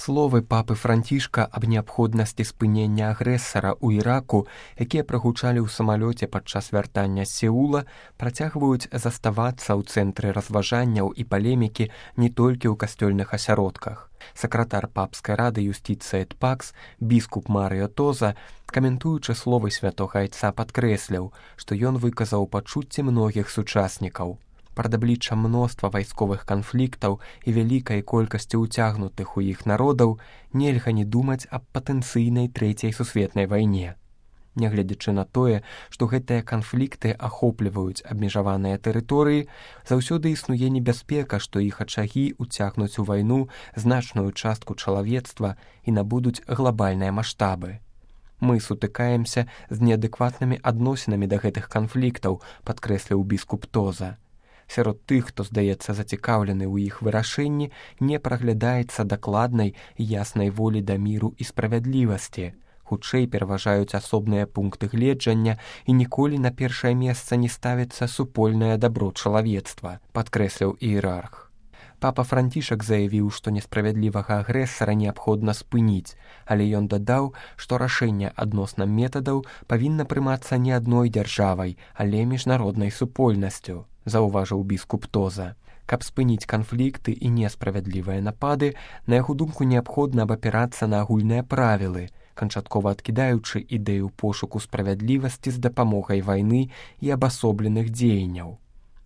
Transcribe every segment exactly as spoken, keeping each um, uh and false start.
Словы папы Францішка аб неабходнасці спынення агрэсара ў Іраку, якія прагучалі ў самалёце падчас вяртання з Сеула, працягваюць заставацца ў цэнтры разважанняў і палемікі не толькі ў касцёльных асяродках. Сакратар папскай рады юстыцыі эт пакс, біскуп Марыё Тоза, каментуючы словы святога айца, падкрэсляў, што ён выказаў пачуцці многіх сучаснікаў. Прад абліччам мноства вайсковых канфліктаў і вялікай колькасці ўцягнутых у іх народаў нельга не думаць аб патэнцыйнай трэцяй сусветнай вайне. Нягледзячы на тое, што гэтыя канфлікты ахопліваюць абмежаваныя тэрыторыі, заўсёды існуе небяспека, што іх ачагі ўцягнуць у вайну значную частку чалавецтва і набудуць глабальныя маштабы. Мы сутыкаемся з неадэкватнымі адносінамі да гэтых канфліктаў, падкрэсліў біскуп Тоза. Сярод тых, хто, здаецца, зацікаўлены ў іх вырашэнні, не праглядаецца дакладнай і яснай волі да міру і справядлівасці. Хутчэй пераважаюць асобныя пункты гледжання і ніколі на першае месца не ставіцца супольнае дабро чалавецтва, падкрэсліў іерарх. Папа Францішак заявіў, што несправядлівага агрэсара неабходна спыніць, але ён дадаў, што рашэнне адносна метадаў павінна прымацца не адной дзяржавай, але міжнароднай супольнасцю, заўважыў біскуп Тоза. Каб спыніць канфлікты і несправядлівыя напады, на яго думку неабходна абапірацца на агульныя правілы, канчаткова адкідаючы ідэю пошуку справядлівасці з дапамогай вайны і абасобленых дзеянняў.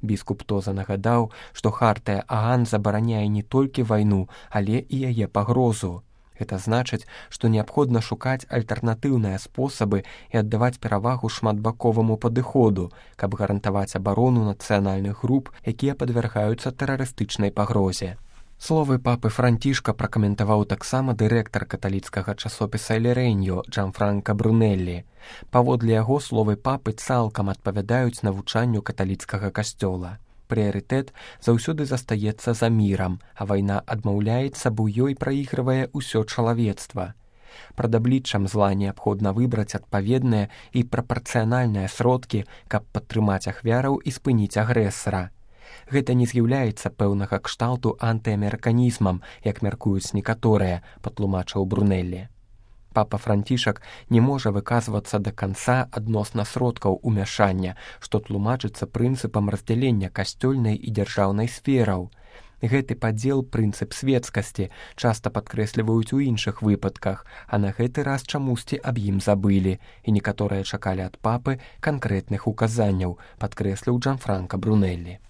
Біскуп Тоза нагадаў, што хартыя Аан забараняе не толькі вайну, але і яе пагрозу. Гэта значыць, што неабходна шукаць альтэрнатыўныя спосабы і аддаваць перавагу шматбаковаму падыходу, каб гарантаваць абарону нацыянальных груп, якія падвяргаюцца тэрарыстычнай пагрозе. Словы папы Францішка пракаментаваў таксама дырэктар каталіцкага часопіса «Эль Реньо» Джанфранка Брунеллі. Паводле яго словы папы цалкам адпавядаюць навучанню каталіцкага касцёла. Прыярытэт заўсёды застаецца за мірам, а вайна адмаўляецца, бо ёй праігрывае ўсё чалавецтва. Прад абліччам зла неабходна выбраць адпаведныя і прапарцыянальныя сродкі, каб падтрымаць ахвяраў і спыніць агрэсара. Гэта не з'яўляецца пэўнага кшталту антыамерыканізмам, як мяркуюць некаторыя, патлумачыў Брунеллі. Папа Францішак не можа выказвацца да канца адносна сродкаў умяшання, што тлумачыцца прынцыпам раздзялення касцёльнай і дзяржаўнай сфераў. Гэты падзел прынцып светскасці часта падкрэсліваюць у іншых выпадках, а на гэты раз чамусьці аб ім забылі, і некаторыя чакалі ад папы канкрэтных указанняў, падкрэсліў Джанфранка Брунеллі.